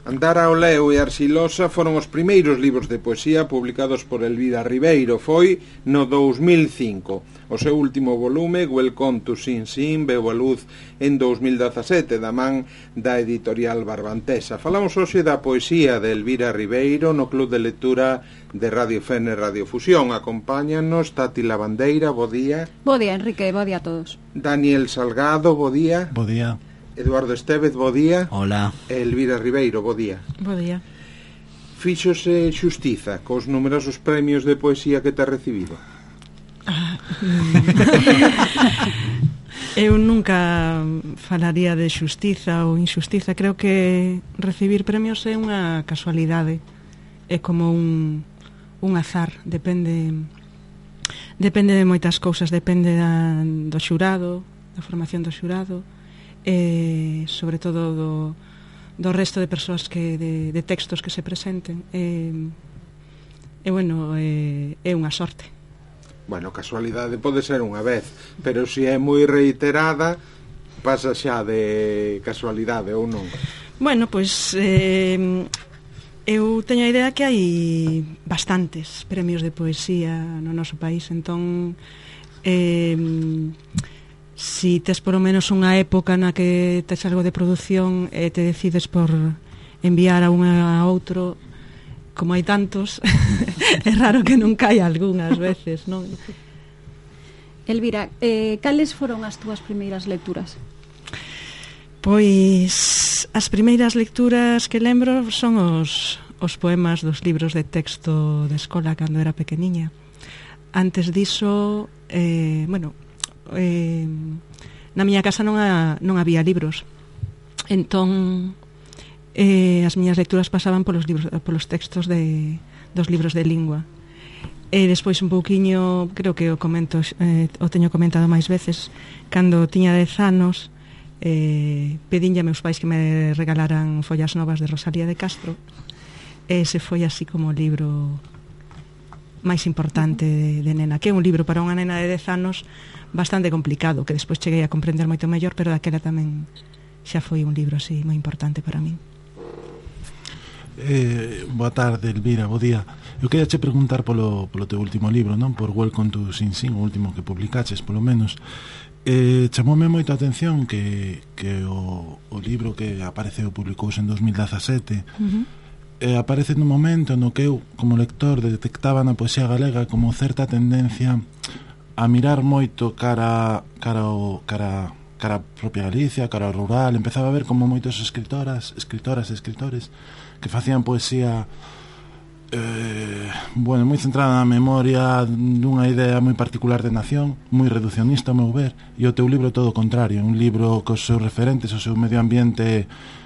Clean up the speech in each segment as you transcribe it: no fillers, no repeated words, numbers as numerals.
Andar ao leo e Arxilosa foron os primeiros libros de poesía publicados por Elvira Ribeiro. Foi no 2005. O seu último volume, Welcome to Sin Sin, veu a luz en 2017 da man da editorial Barbantesa. Falamos hoxe da poesía de Elvira Ribeiro no Club de Lectura de Radio Fene Radio Fusión. Acompáñanos Tati Lavandeira, bo día. Bo día, Enrique, bo día a todos. Daniel Salgado, bo día. Bo día. Eduardo Estevez, bo día. Hola. Elvira Ribeiro, bo día. Bo día. Fíxose xustiza cos numerosos premios de poesía que te recibido? Eu nunca falaría de xustiza ou injustiza. Creo que recibir premios é unha casualidade. É como un azar. Depende de moitas cousas. Depende do xurado, da formación do xurado, sobre todo do resto de persoas de textos que se presenten. Bueno, é unha sorte. Bueno, casualidade pode ser unha vez, pero se é moi reiterada pasa xa de casualidade ou non? Bueno, pois eu teño a idea que hai bastantes premios de poesía no noso país, entón si tes por lo menos unha época na que tes algo de produción e te decides por enviar a un a outro, como hai tantos, é raro que non caia algunhas veces, non? Elvira, cales foron as túas primeiras lecturas? Pois as primeiras lecturas que lembro son os poemas dos libros de texto de escola cando era pequeniña. Antes diso, na miña casa non había libros, entón as miñas lecturas pasaban polos textos dos libros de lingua. E despois un pouquiño, creo que o teño comentado máis veces, cando tiña 10 anos pedinlle a meus pais que me regalaran Follas Novas de Rosalía de Castro, e ese foi así como o libro máis importante de nena, que é un libro para unha nena de 10 anos bastante complicado, que despois cheguei a comprender moito mellor, pero daquela tamén xa foi un libro así moi importante para min. Boa tarde, Elvira, bo día. Eu queria che preguntar polo teu último libro, non? Por Welcome to Sin Sin, o último que publicaches, polo menos. Chamoume moito a atención que o libro que apareceu, publicouse en 2017, aparece nun momento no que eu, como lector, detectaba na poesía galega como certa tendencia a mirar moito cara a propia Galicia, cara ao rural. Empezaba a ver como moitos escritoras e escritores que facían poesía moi centrada na memoria dunha idea moi particular de nación, moi reducionista ao meu ver, e o teu libro todo o contrario, un libro cos seus referentes, o seu medio ambiente,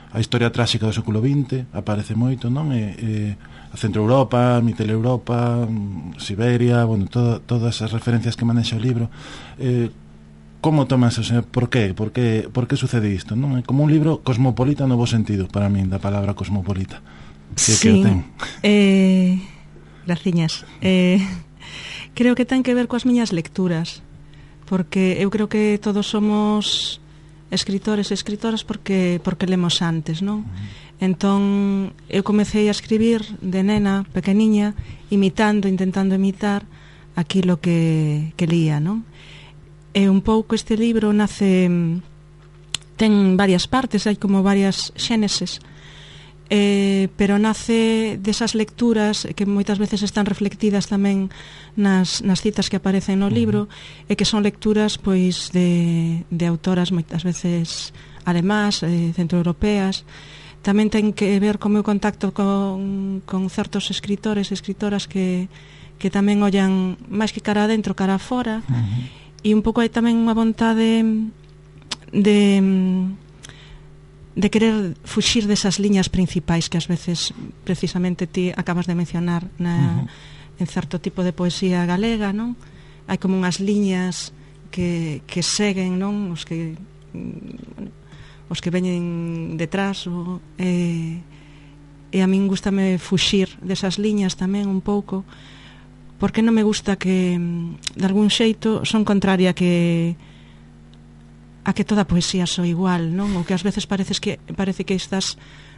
a historia tráxica do século XX aparece moito, non? A Centro Europa, Mittel Europa, Siberia, bueno, todas as referencias que manexa o libro. Como tomas eso? Por qué sucede isto, non? É como un libro cosmopolita no bo sentido, para min, da palabra cosmopolita. Sí, graciñas. Creo que ten que ver coas miñas lecturas, porque eu creo que todos somos escritores e escritoras porque lemos antes, non? Entón eu comecei a escribir de nena, pequeniña, intentando imitar aquilo que lía, non? E un pouco este libro nace, ten varias partes, hai como varias xéneses, pero nace desas lecturas que moitas veces están reflectidas tamén nas citas que aparecen no libro, e que son lecturas pois de autoras moitas veces alemás, centroeuropeas. Tamén ten que ver co meu contacto con certos escritores e escritoras que tamén ollan máis que cara adentro, cara afora. E un pouco hai tamén unha vontade de querer fuxir desas liñas principais que ás veces precisamente ti acabas de mencionar en certo tipo de poesía galega, non? Hai como unhas liñas que seguen, non? Os que veñen detrás, e a min gústame fuxir desas liñas tamén un pouco, porque non me gusta que de algún xeito son contraria que a que toda a poesía soa igual, non? Ou que ás veces parece que estás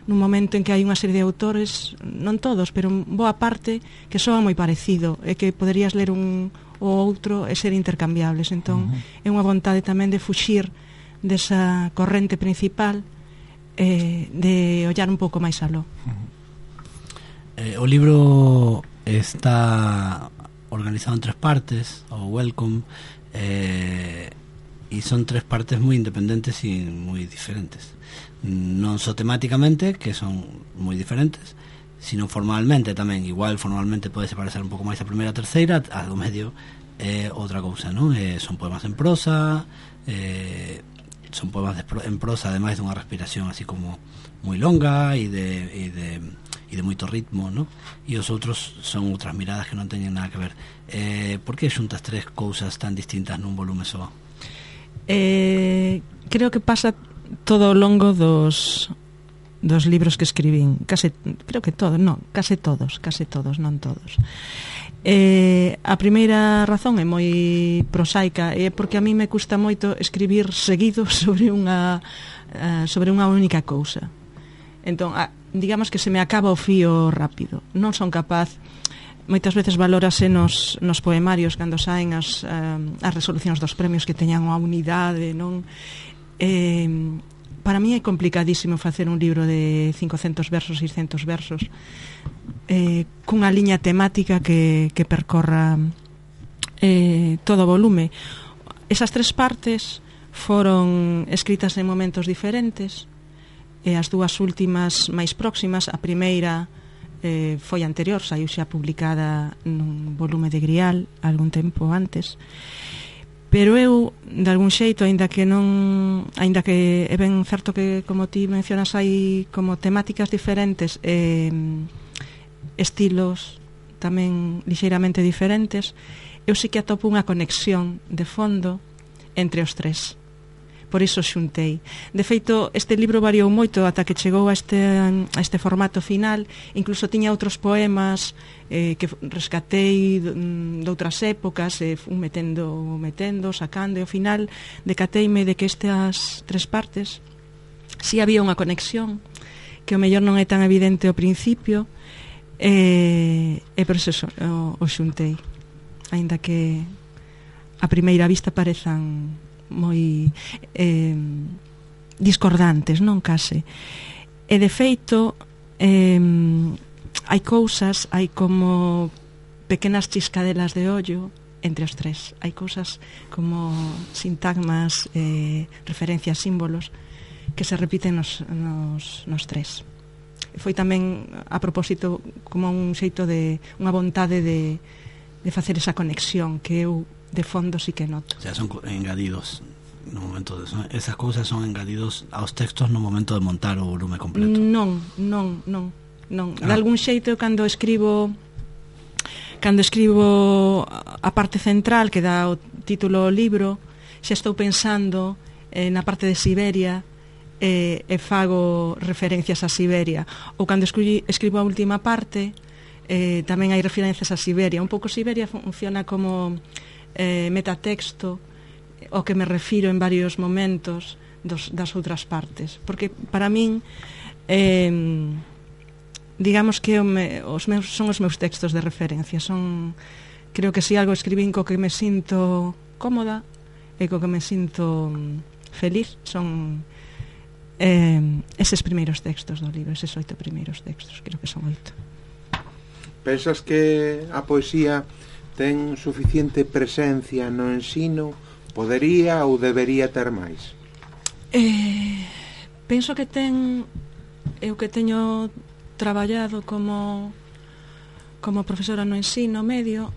nun momento en que hai unha serie de autores, non todos, pero boa parte, que soa moi parecido e que poderías ler un ou outro e ser intercambiables. Entón, é unha vontade tamén de fuxir desa corrente principal, de ollar un pouco máis aló. O libro está organizado en 3 partes, o Welcome, e son 3 partes moi independentes e moi diferentes, non só temáticamente, que son moi diferentes, sino formalmente tamén. Igual formalmente pode parecer un pouco máis a primeira e a terceira, a do medio é outra cousa, non? Son poemas en prosa, son poemas en prosa, ademais dunha respiración así como moi longa e de moito ritmo, non? E os outros son outras miradas que non teñen nada que ver. Por que xuntas 3 cousas tan distintas nun volume só? Creo que pasa todo ao longo dos libros que escribín, case todos, non todos. A primeira razón é moi prosaica, é porque a mí me custa moito escribir seguido sobre unha única cousa. Entón, digamos que se me acaba o fío rápido, non son capaz. Moitas veces valórase nos poemarios cando saen as resolucións dos premios que teñan unha unidade, non? Para mí é complicadísimo facer un libro de 500 versos, 600 versos, cunha liña temática que percorra todo o volume. Esas 3 partes foron escritas en momentos diferentes, e as 2 últimas máis próximas, a primeira foi anterior, saiu xa publicada nun volume de Grial algún tempo antes, pero eu, de algún xeito, aínda que é ben certo que, como ti mencionas, hai como temáticas diferentes, estilos tamén lixeiramente diferentes, eu sí que atopo unha conexión de fondo entre os 3. Por iso xuntei. De feito, este libro variou moito ata que chegou a este formato final. Incluso tiña outros poemas que rescatei de outras épocas, fui metendo, sacando, e ao final decateime de que estas 3 partes si había unha conexión que o mellor non é tan evidente ao principio, e por iso o xuntei, aínda que a primeira vista parezan moi discordantes, non case. E de feito hai cousas, hai como pequenas chiscadelas de ollo entre os 3. Hai cousas como sintagmas, referencias, símbolos que se repiten nos 3. Foi tamén a propósito como un xeito de unha vontade de facer esa conexión que eu de fondo sí que noto. O sea, son engadidos no momento de, esas cousas son engadidos aos textos no momento de montar o volume completo. Non. De algún xeito, cando escribo a parte central que dá o título ao libro, xa estou pensando na parte de Siberia, e fago referencias a Siberia. Ou cando escribo a última parte, tamén hai referencias a Siberia. Un pouco Siberia funciona como metatexto ao que me refiro en varios momentos das outras partes, porque para min digamos que son os meus textos de referencia. Creo que si algo escribín co que me sinto cómoda e co que me sinto feliz son eses primeiros textos do libro, eses 8 primeiros textos, creo que son 8. Pensas que a poesía ten suficiente presencia no ensino? Podería ou debería ter máis? Penso que ten. Eu que teño traballado como profesora no ensino medio,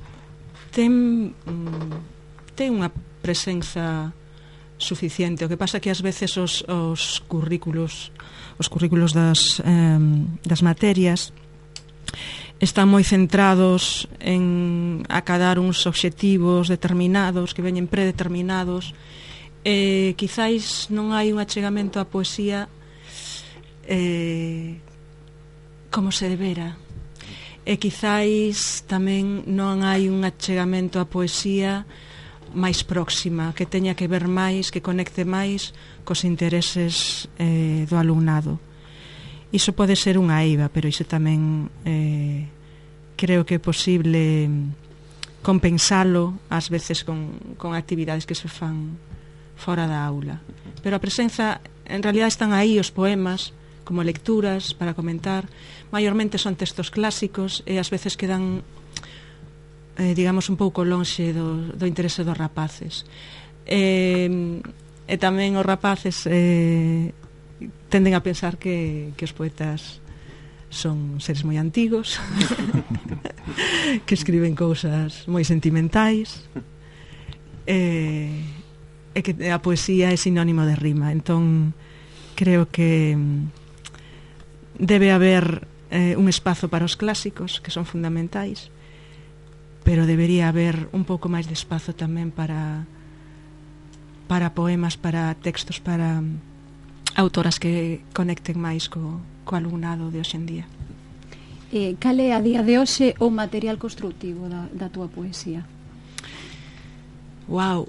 ten unha presenza suficiente. O que pasa que ás veces os currículos das materias están moi centrados en acadar uns obxectivos determinados que veñen predeterminados, e quizáis non hai un achegamento á poesía como se debera, e quizáis tamén non hai un achegamento á poesía máis próxima, que teña que ver máis, que conecte máis cos intereses do alumnado. Iso pode ser unha eiva, pero iso tamén creo que é posible compensalo ás veces con actividades que se fan fora da aula. Pero a presenza, en realidad están aí os poemas como lecturas para comentar, maiormente son textos clásicos e ás veces quedan digamos un pouco lonxe do interese dos rapaces, e tamén os rapaces tenden a pensar que os poetas son seres moi antigos que escriben cousas moi sentimentais e que a poesía é sinónimo de rima. Entón creo que debe haber un espazo para os clásicos, que son fundamentais, pero debería haber un pouco máis de espazo tamén para poemas, para textos, para autoras que conecten máis co alumnado de hoxe en día. Cal é a día de hoxe o material constructivo da túa poesía? Wow.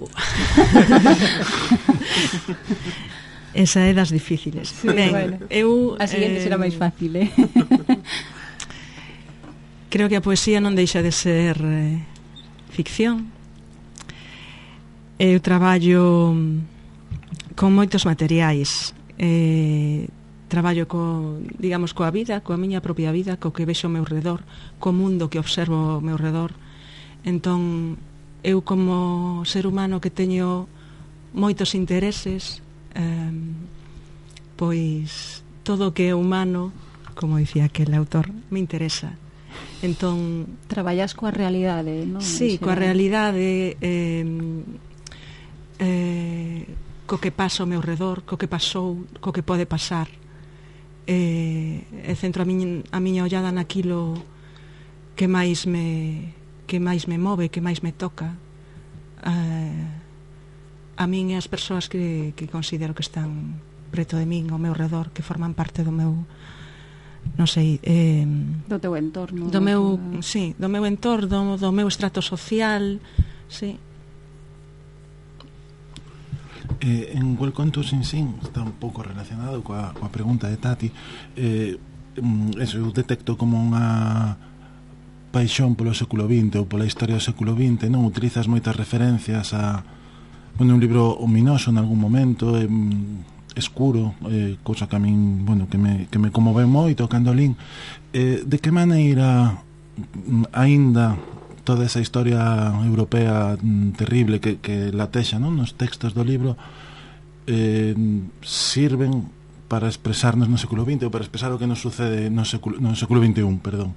Esa é das difíciles. Sí, bueno, a seguinte será máis fácil, Creo que a poesía non deixa de ser ficción. Eu traballo con moitos materiais. Traballo digamos, coa vida, coa miña propia vida, co que vexo ao meu redor, co mundo que observo ao meu redor. Entón, eu como ser humano que teño moitos intereses, pois todo o que é humano, como dicía aquel autor, me interesa. Entón, traballas coa realidade, non? Sí, coa realidade, co que pasa ao meu redor, co que pasou, co que pode pasar. Centro a miña ollada naquilo que máis me move, que máis me toca. A min e as persoas que considero que están preto de min, ao meu redor, que forman parte do meu, non sei, do teu entorno, do meu entorno, do meu estrato social, sí. En Welcome to Sing Sing está un pouco relacionado coa pregunta de Tati. Eso, eu detecto como unha paixón polo século XX ou pola historia do século XX, non? Utilizas moitas referencias a un libro ominoso en algún momento, escuro, cousa que a min, que me comove moito cando lín. De que maneira aínda toda esa historia europea terrible que latexa, non, nos textos do libro sirven para expresarnos no século XX ou para expresar o que nos sucede no século XXI, perdón.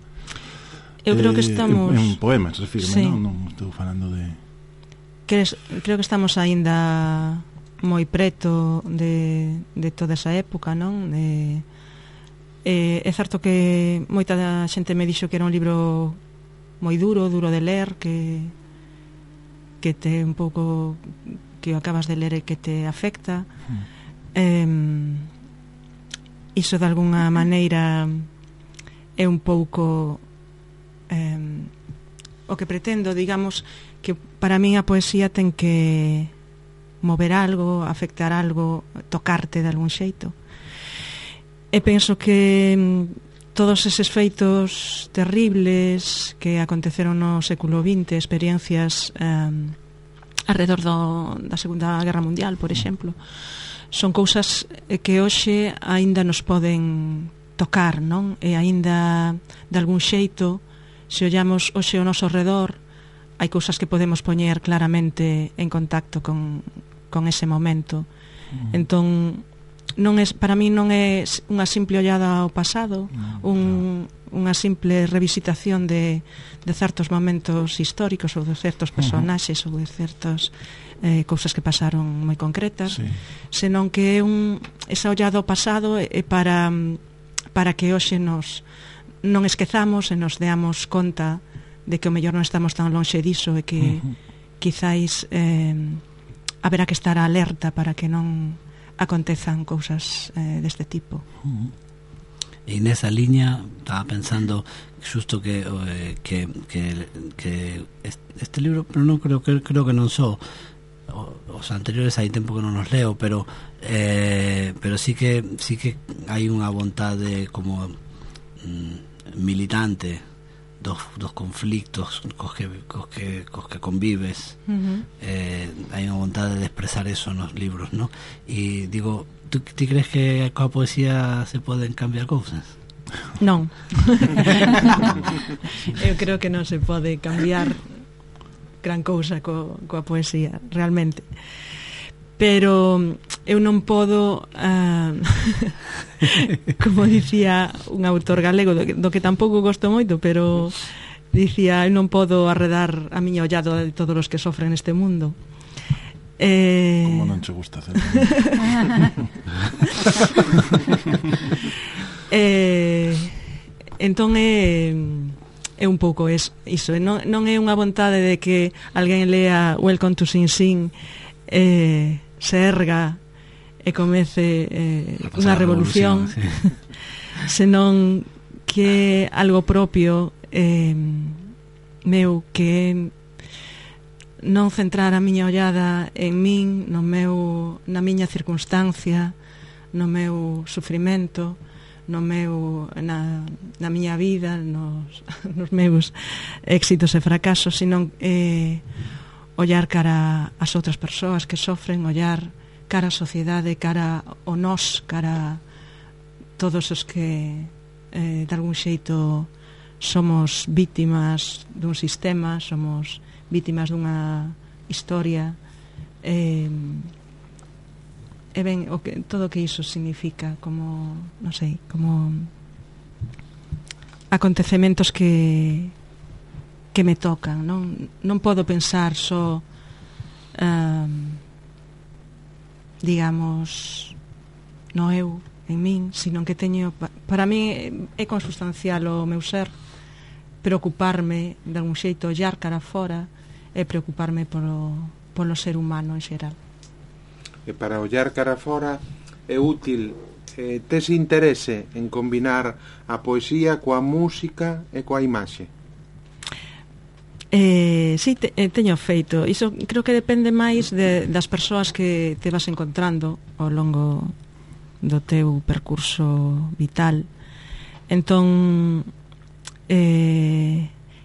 Eu creo que estamos en poemas, refirme, sí. Non estou falando de... Creo que estamos aínda moi preto de toda esa época, non? É certo que moita da xente me dixo que era un libro moi duro de ler, que te un pouco, que acabas de ler e que te afecta. Iso de alguna maneira é un pouco o que pretendo, digamos, que para min a poesía ten que mover algo, afectar algo, tocarte de algún xeito. E penso que todos eses feitos terribles que aconteceron no século XX, experiencias alrededor da Segunda Guerra Mundial, por exemplo, son cousas que hoxe aínda nos poden tocar, non? E aínda de algún xeito, se ollamos hoxe ao noso redor, hai cousas que podemos poñer claramente en contacto con ese momento. Entón, para mí non é unha simple ollada ao pasado, unha simple revisitación de certos momentos históricos ou de certos personaxes ou de certas cousas que pasaron moi concretas, senón que é esa ollada ao pasado é para que hoxe non esquezamos e nos deamos conta de que o mellor non estamos tan lonxe diso e que quizáis haberá que estar alerta para que non acontezan cousas deste tipo. E nesa liña estaba pensando xusto que este libro, pero non creo que non só os anteriores, hai tempo que non os leo, pero sí que hai unha vontade como militante dos conflictos cos que convives. Hai unha vontade de expresar eso nos libros, ¿no? E digo, ti crees que coa poesía se poden cambiar cousas? Non. Eu creo que non se pode cambiar gran cousa coa poesía, realmente. Pero eu non podo como dicía un autor galego do que tampouco gosto moito, pero dicía, eu non podo arredar a miña ollada de todos os que sofren neste mundo. Como non che gusta hacer? Entón é un pouco iso. Non é unha vontade de que alguén lea Welcome to Sing Sing, se erga e comece unha revolución, sí. Senón que algo propio meu, que non centrar a miña ollada en min, na miña circunstancia, no meu sufrimento, na miña vida, nos meus éxitos e fracasos, senón ollar cara ás outras persoas que sofren, ollar cara á sociedade, cara ao nós, cara a todos os que de algún xeito somos vítimas dun sistema, somos vítimas dunha historia, e ben todo o que iso significa, como, non sei, como acontecementos que me tocan. Non podo pensar só digamos no eu, en min, sino que teño, para mí é consustancial o meu ser, preocuparme de algún xeito, ollar cara fora e preocuparme polo ser humano en xeral. E para ollar cara fora é útil tes interese en combinar a poesía coa música e coa imaxe? Sí, teño feito. Iso creo que depende máis das persoas que te vas encontrando ao longo do teu percurso vital. Entón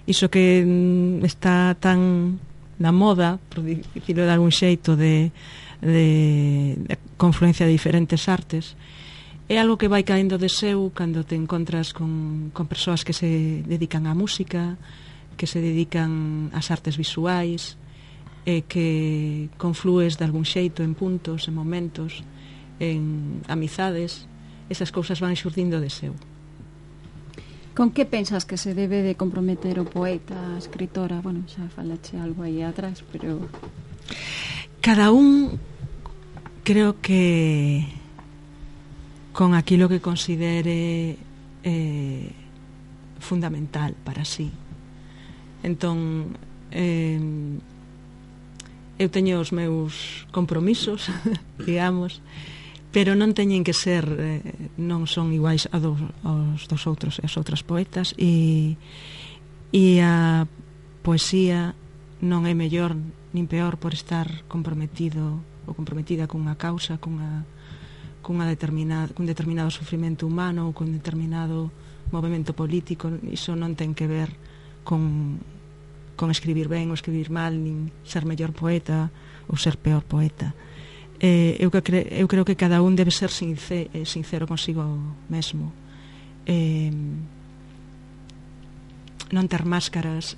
iso que está tan na moda, por dicirlo de algún xeito, de confluencia de diferentes artes, é algo que vai caendo de seu cando te encontras con persoas que se dedican á música, que se dedican ás artes visuais, e que conflues de algún xeito en puntos, en momentos, en amizades. Esas cousas van xurdindo de seu. Con que pensas que se debe de comprometer o poeta, a escritora? Bueno, xa falache algo aí atrás, pero cada un, creo que con aquilo que considere fundamental para sí. Entón eu teño os meus compromisos digamos, pero non teñen que ser non son iguais aos dos outros e as outras poetas, e a poesía non é mellor nin peor por estar comprometido ou comprometida cunha causa, cun determinado sufrimento humano ou cun determinado movimento político. Iso non ten que ver con escribir ben ou escribir mal, nin ser mellor poeta ou ser peor poeta. Eu creo que cada un debe ser sincero consigo mesmo, non ter máscaras,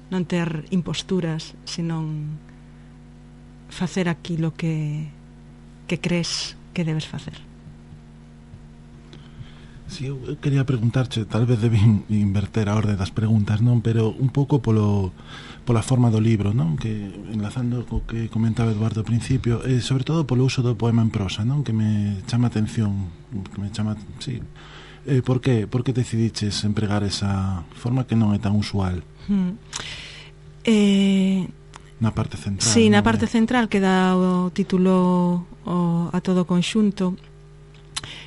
non ter imposturas, senón facer aquilo que crees que debes facer. Si, eu quería preguntarche, tal vez debín inverter a orde das preguntas, non? Pero un pouco pola forma do libro, non? Que enlazando co que comentaba Eduardo ao principio, e sobre todo polo uso do poema en prosa, non? Que me chama a atención, sí. Por que decidiches empregar esa forma que non é tan usual? Na parte central. Sí, na parte central, que dá o título a todo o conxunto.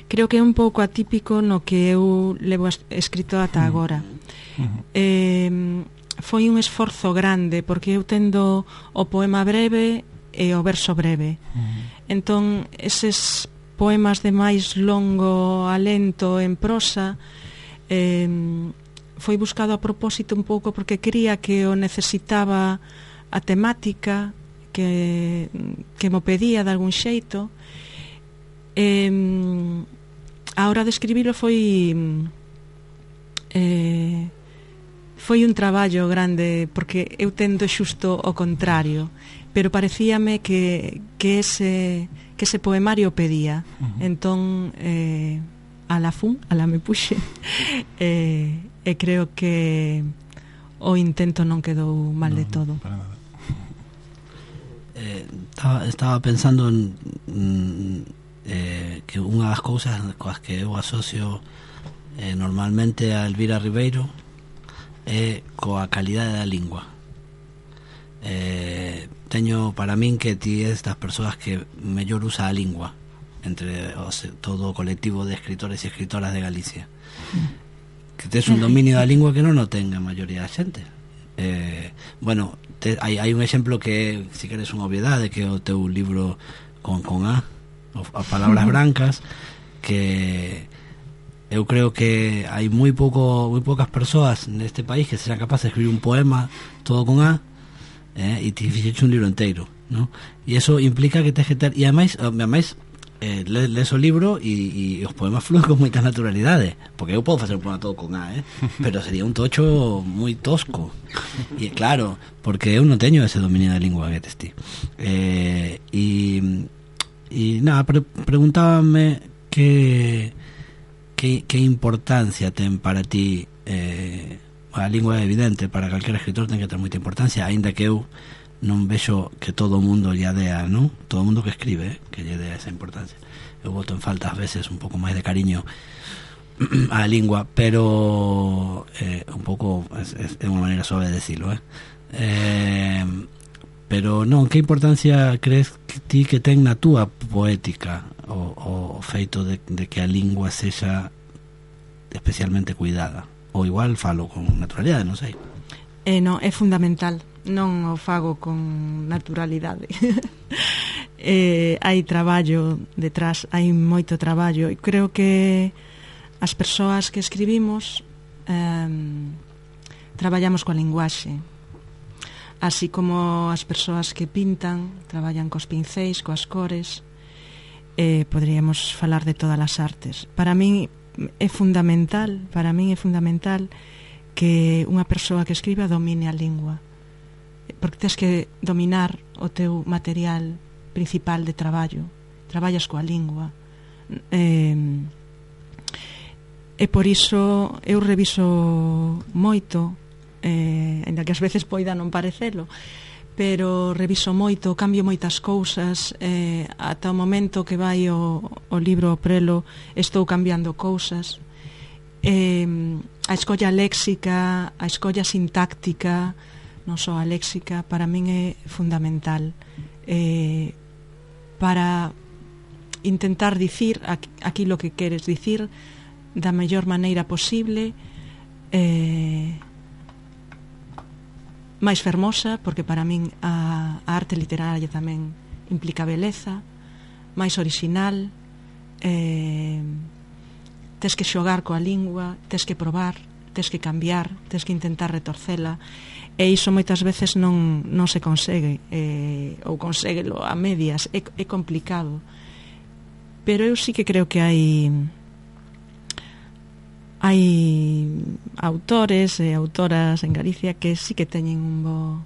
creo que é un pouco atípico no que eu levo escrito ata agora. Foi un esforzo grande, porque eu tendo o poema breve e o verso breve. Entón, eses poemas de máis longo alento en prosa foi buscado a propósito un pouco porque quería que o necesitaba a temática que mo pedía de algún xeito. A hora de escribilo foi un traballo grande, porque eu tendo xusto o contrario, pero parecíame que ese poemario pedía. Entón ala me puxe e creo que o intento non quedou mal de todo. Para nada. Estaba pensando en que unha das cousas coas que eu asocio normalmente a Elvira Ribeiro é coa calidade da lingua. Teño para min que ti é das persoas que mellor usa a lingua entre todo o colectivo de escritores e escritoras de Galicia, que tes un dominio da lingua que non o ten a maioría da xente. Bueno, hai un exemplo que, se queres unha obviedade, que é o teu libro con A, a palabras brancas, que eu creo que hai moi poucas persoas neste país que serán capaces de escribir un poema todo con A, e te fixeche un libro inteiro, ¿no? E eso implica que tens que ter, e ademais lees o libro e os poemas fluen con moita naturalidade, porque eu podo facer un poema todo con A, pero sería un tocho moi tosco, e claro, porque eu non teño ese dominio da lingua que tes ti. E nada, preguntábame que importancia ten para ti. A lingua é evidente, para calquer escritor ten que ter moita importancia, aínda que eu non vexo que todo o mundo lle dea, non? Todo o mundo que escribe, que lle dea esa importancia. Eu boto en falta ás veces un pouco máis de cariño á lingua, pero un pouco é unha maneira suave de decirlo, pero non, que importancia crees que ti que ten na túa poética o feito de que a lingua sexa especialmente cuidada? Ou igual falo con naturalidade, non sei. Non, é fundamental, non o fago con naturalidade. Hai traballo detrás, hai moito traballo, e creo que as persoas que escribimos traballamos coa linguaxe, así como as persoas que pintan traballan cos pincéis, coas cores. Poderíamos falar de todas as artes. Para min é fundamental que unha persoa que escriba domine a lingua, porque tens que dominar o teu material principal de traballo. Traballas coa lingua, e por iso eu reviso moito, ainda que ás veces poida non parecelo, pero reviso moito, cambio moitas cousas, ata o momento que vai o libro ao prelo estou cambiando cousas. A escolla léxica, a escolla sintáctica, non só a léxica, para min é fundamental, para intentar dicir aquilo que queres dicir da mellor maneira posible, máis fermosa, porque para min a arte literaria tamén implica beleza, máis orixinal. Tes que xogar coa lingua, tes que probar, tes que cambiar, tes que intentar retorcela, e iso moitas veces non se consegue, ou conseguelo a medias, é complicado. Pero eu sí que creo que hai autores e autoras en Galicia que sí que teñen un bo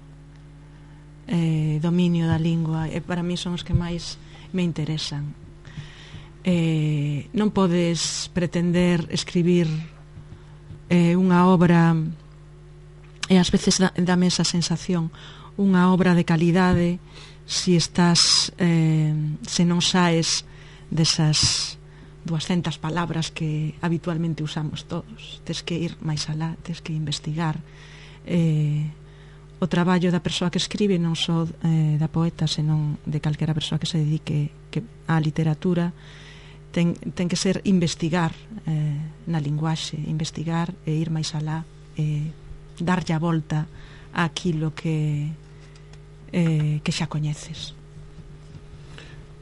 dominio da lingua, e para mí son os que máis me interesan. Non podes pretender escribir unha obra, e ás veces dame esa sensación, unha obra de calidade se non saes desas 200 palabras que habitualmente usamos todos. Tes que ir máis alá, tes que investigar. O traballo da persoa que escribe, non só da poeta, senón de calquera persoa que se dedique á literatura, ten que ser investigar na linguaxe, investigar e ir máis alá, darlle a volta àquilo que xa coñeces.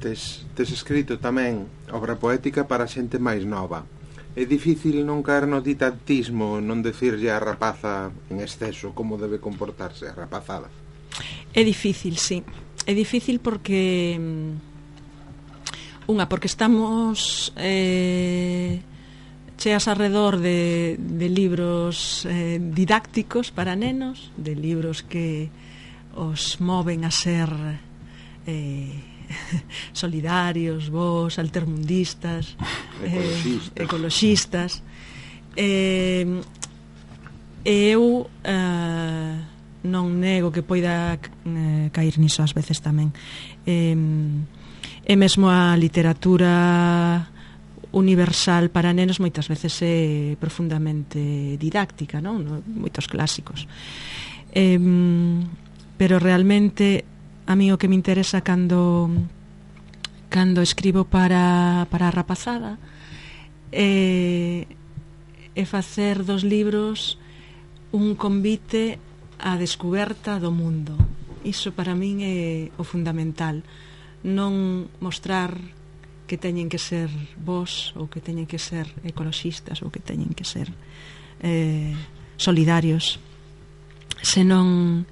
Tes escrito tamén obra poética para xente máis nova. É difícil non caer no ditantismo, non decirlle a rapaza en exceso como debe comportarse a rapazada? É difícil, sí. É difícil porque porque estamos cheas alrededor de libros didácticos para nenos, de libros que os moven a ser solidarios, bos, altermundistas, ecologistas. Eu non nego que poida cair niso ás veces tamén. E mesmo a literatura universal para nenos moitas veces é profundamente didáctica, non? Moitos clásicos. Pero realmente a mí o que me interesa cando escribo para a rapazada é facer dos libros un convite á descoberta do mundo. Iso para min é o fundamental. Non mostrar que teñen que ser vos ou que teñen que ser ecologistas ou que teñen que ser solidarios, senón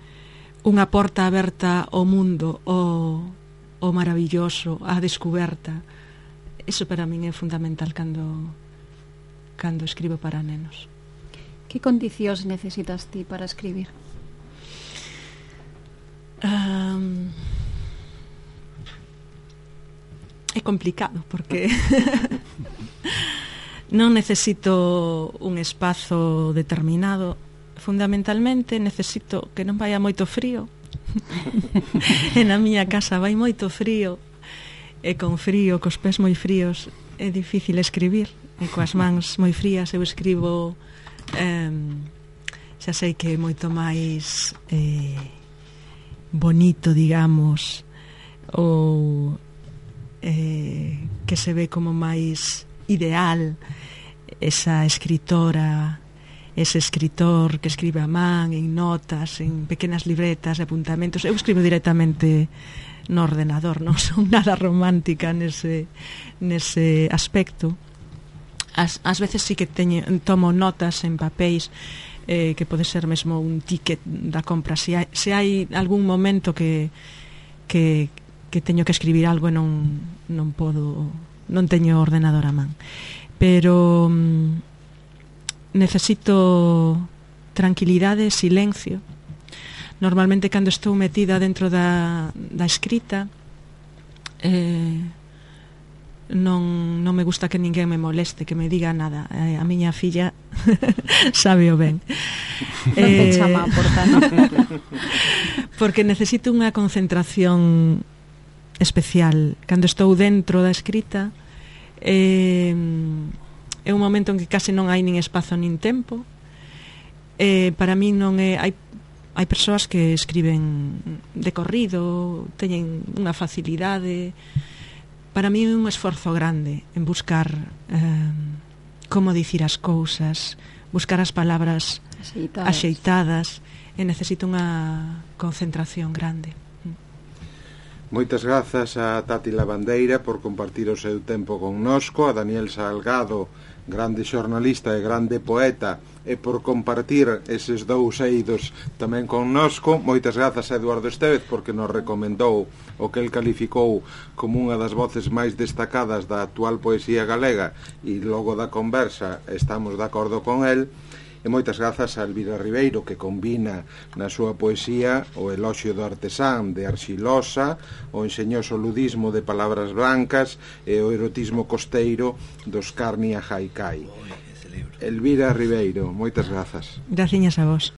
unha porta aberta ao mundo, ao maravilloso, á descoberta. Iso para min é fundamental cando escribo para nenos. Que condicións necesitas ti para escribir? É complicado porque non necesito un espazo determinado. Fundamentalmente necesito que non vaya moito frío. E na miña casa vai moito frío, e con frío, cos pés moi fríos, é difícil escribir, e coas mans moi frías eu escribo, xa sei que é moito máis bonito, digamos, ou que se ve como máis ideal esa escritora, ese escritor que escribe a man, en notas, en pequenas libretas, apuntamentos. Eu escribo directamente no ordenador, non son nada romántica nese aspecto. Ás veces sí que tomo notas en papéis, que pode ser mesmo un ticket da compra. Se hai algún momento que teño que escribir algo e non podo, non teño ordenador a man, pero necesito tranquilidade, silencio. Normalmente cando estou metida dentro da escrita, non me gusta que ninguén me moleste, que me diga nada. A miña filla sabe o ben. Non te chama a porta, non? Porque necesito unha concentración especial. Cando estou dentro da escrita, é un momento en que case non hai nin espazo nin tempo. Para mí non é... Hai persoas que escriben de corrido, teñen unha facilidade. Para mí é un esforzo grande en buscar como dicir as cousas, buscar as palabras axeitadas, e necesito unha concentración grande. Moitas grazas a Tati Lavandeira por compartir o seu tempo connosco, a Daniel Salgado, grande xornalista e grande poeta, e por compartir eses dous eidos tamén connosco. Moitas grazas a Eduardo Estévez porque nos recomendou o que el calificou como unha das voces máis destacadas da actual poesía galega, e logo da conversa estamos de acordo con el. E moitas grazas a Elvira Ribeiro, que combina na súa poesía o eloxio do artesán de Arxilosa, o enxeñoso ludismo de Palabras Blancas e o erotismo costeiro dos Carnia Haikai. Elvira Ribeiro, moitas grazas. Graciñas a vos.